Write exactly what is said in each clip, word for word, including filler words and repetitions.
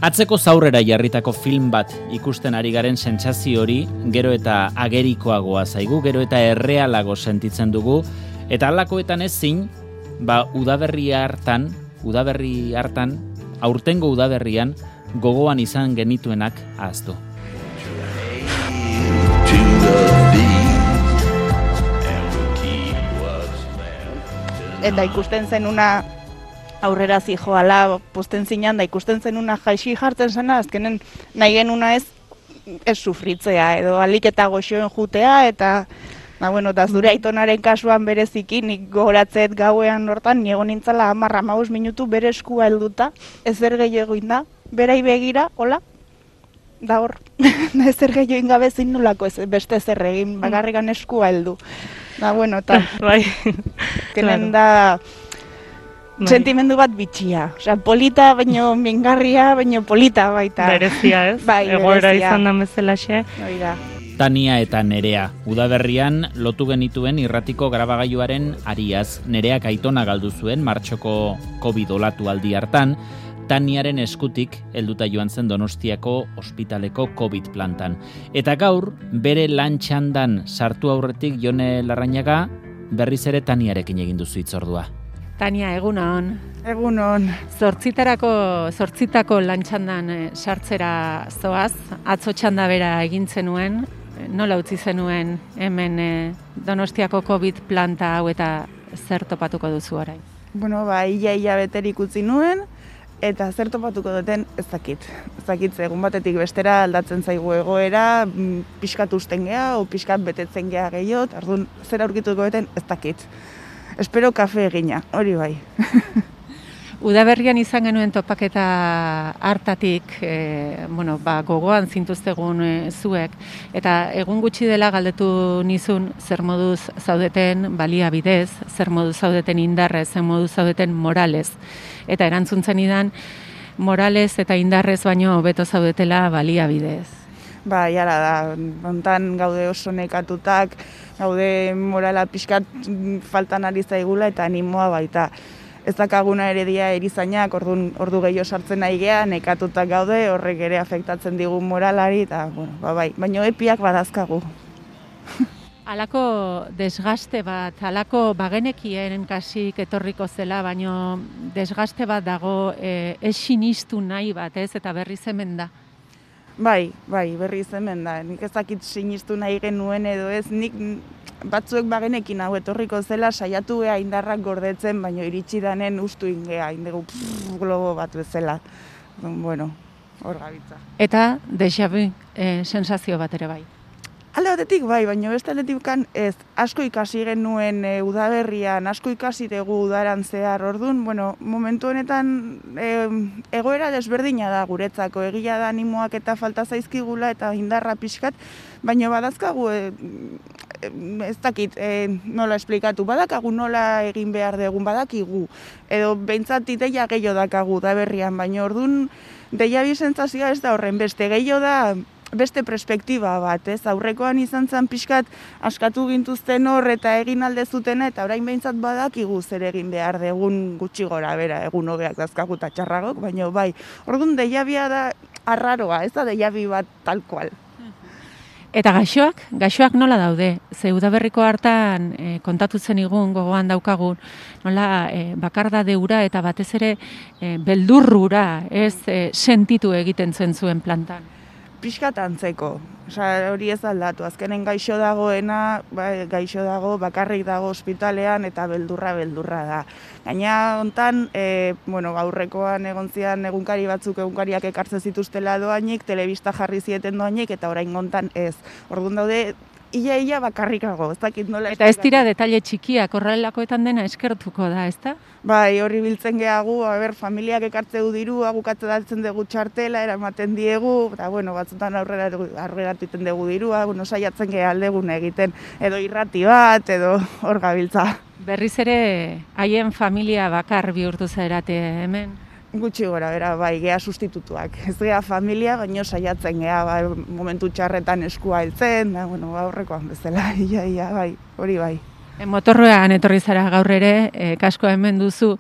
Atzeko zaurrera jarritako film bat ikusten ari garen sentsazio hori gero eta agerikoagoa zaigu, gero eta errealago sentitzen dugu, eta halakoetan ezin, ba udaberri hartan, udaberri hartan, aurtengo udaberrian gogoan izan genituenak ahaztu. Eta ikusten zenuna aurrera zijoala posten zinan, da ikusten zenuna jaixi jartzen zena, azkenen nahi genuna ez, ez sufritzea, edo alik eta goxoen jutea, eta da, bueno, eta zure aitonaren kasuan bereziki, nik gogoratzet gauean hortan, niego nintzala hamarra maus minutu bere eskua helduta, ezer gehiago inda, berai begira, hola, da hor, ezer gehiago ingabe zin nolako ez, beste ezer egin, bakarrikan eskua heldu. Da, bueno, eta, bai, kenen da, sentimendu bat bitxia. Osea, polita, baino mingarria, baino polita baita. Berezia, ez? Bai, egoera berezia. izan da bezalaxe. Oida. Tania eta Nerea, udaberrian lotu genituen irratiko grabagailuaren ariaz. Nereak aitona galdu zuen martxoko Covid olatu aldi hartan, Taniaren eskutik helduta joan zen Donostiako ospitaleko Covid plantan. Eta gaur, bere lan txandan sartu aurretik Jone Larrañaga, berriz ere Taniarekin egin duzu hitzordua. Tania, egunon. Egunon. Zortzitarako, zortzitako lan txandan eh, sartzera zoaz, atzo txanda bera egin zenuen, nola utzi zenuen hemen eh, Donostiako Covid planta hau eta zer topatuko duzu orain? Bueno, ba, ia-ia beterik utzi nuen, eta zer topatuko duten ez dakit. Ez dakit, egun batetik bestera aldatzen zaigu egoera, pixkat usten geha, o pixkat betetzen geha gehiago, orduan zer aurkituko duten ez dakit. Espero kafe egina, hori bai. Udaberrian izan genuen topaketa hartatik, e, bueno, ba, gogoan zintuztegun e, zuek, eta egun gutxi dela galdetu nizun zer moduz zaudeten baliabidez, zer moduz zaudeten indarrez, zer moduz zaudeten moralez. Eta erantzuntzen idan, moralez eta indarrez baino hobeto zaudetela baliabidez. Ba, jara da, hontan gaude oso nekatutak, gaude morala pixkat faltan ari zaigula eta animoa baita. Ez dakaguna ere dia erizainak, ordu, ordu gehiago sartzen nahi geha, nekatutak gaude, horrek ere afektatzen digu moralari, eta, bueno, ba, bai, baino epiak badazkagu. Halako desgaste bat, halako bagenekien kasik etorriko zela, baino desgaste bat dago e, ez sinistu nahi bat, ez, eta berriz hemen da. Bai, bai, berriz hemen da. Nik ez dakit sinistu nahi genuen edo ez, nik batzuek bagenekin hau etorriko zela saiatu geha indarrak gordetzen, baino iritsi danen ustu ingea, indegu pff, globo bat bezala. Bueno, hor gabitza. Eta déjà vu e, sensazio bat ere bai. Alde batetik bai, baina beste aldetik ez, asko ikasi genuen e, udaberrian, asko ikasi dugu udaran zehar, orduan, bueno, momentu honetan e, egoera desberdina da guretzako, egia da animoak eta falta zaizkigula eta indarra pixkat, baina badazkagu, e, e, ez dakit e, nola esplikatu, badakagu nola egin behar dugun, badakigu, edo behintzat ideia gehiago dakagu udaberrian, baina orduan deia bi sentsazioa ez da horren beste, gehiago da, beste perspektiba bat, ez? Aurrekoan izan zen pixkat askatu gintuzten hor eta egin alde zutena eta orain behintzat badakigu zer egin behar degun gutxi gora bera, egun hobeak dazkagu eta txarragok, baina bai, orduan deiabia da arraroa, ez da deiabi bat tal kual. Eta gaixoak, gaixoak nola daude? Ze udaberriko hartan e, kontatu zen igun gogoan daukagun, nola e, bakardade ura eta batez ere e, beldurrura, ez e, sentitu egiten zen zuen plantan. Pixkat antzeko, osea, hori ez aldatu, azkenen gaixo dagoena, ba, gaixo dago, bakarrik dago ospitalean eta beldurra beldurra da. Gaina hontan, e, bueno, aurrekoan egon zian egunkari batzuk egunkariak ekartzen zituztela doainik, telebista jarri zieten doainik eta orain hontan ez. Orduan daude, ia-ia bakarrikago, ez dakit nola... Eta ez dira detaile txikiak, horrelakoetan dena eskertuko da, ez da? Bai, horri biltzen gehagu, ber, familiak ekartzeu diru, agukatze datzen dugu txartela, eramaten diegu, eta, bueno, batzutan aurrera aurreratiten dugu dirua, bueno, saiatzen geha aldegun egiten, edo irrati bat, edo hor gabiltza. Berriz ere, haien familia bakar bihurtu zaerate hemen? Gutxi gora, bera, bai, geha sustitutuak. Ez geha familia, baino saiatzen geha, bai, momentu txarretan eskua heltzen, da, bueno, aurrekoan bezala, ia, ia, bai, hori bai. Motorroan etorri zara gaur ere, e, kaskoa hemen duzu,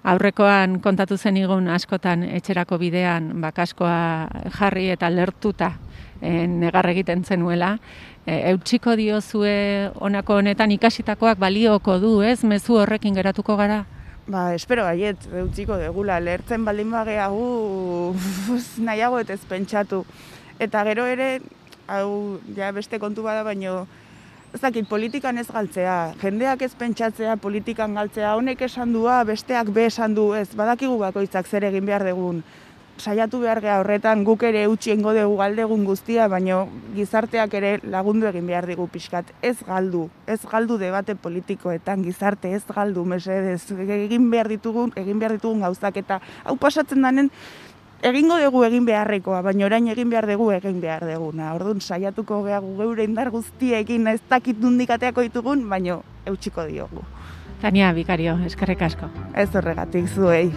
aurrekoan kontatu zen igun askotan etxerako bidean, ba, kaskoa jarri eta lertuta e, negar egiten zenuela. E, eutxiko diozue honako honetan ikasitakoak balioko du, ez? Mezu horrekin geratuko gara? Ba, espero baiet, eutxiko degula, lertzen baldin bageagu nahiago ez pentsatu. Eta gero ere, hau ja beste kontu bada, baino ez dakit, politikan ez galtzea, jendeak ez pentsatzea, politikan galtzea, honek esan dua, besteak be esan du, ez, badakigu bakoitzak zer egin behar dugun. Saiatu behar geha horretan guk ere utxiengo dugu galdegun guztia, baino gizarteak ere lagundu egin behar digu pixkat. Ez galdu, ez galdu debate politikoetan, gizarte ez galdu, mesedez, egin behar ditugun, egin behar ditugun gauzak, eta hau pasatzen danen, egingo dugu egin beharrekoa, baina orain egin behar dugu egin behar duguna. Orduan saiatuko gehagu geure indar guztiekin ez dakit nondik ateako ditugun, baina eutxiko diogu. Tania Bikario, eskerrik asko. Ez horregatik zuei.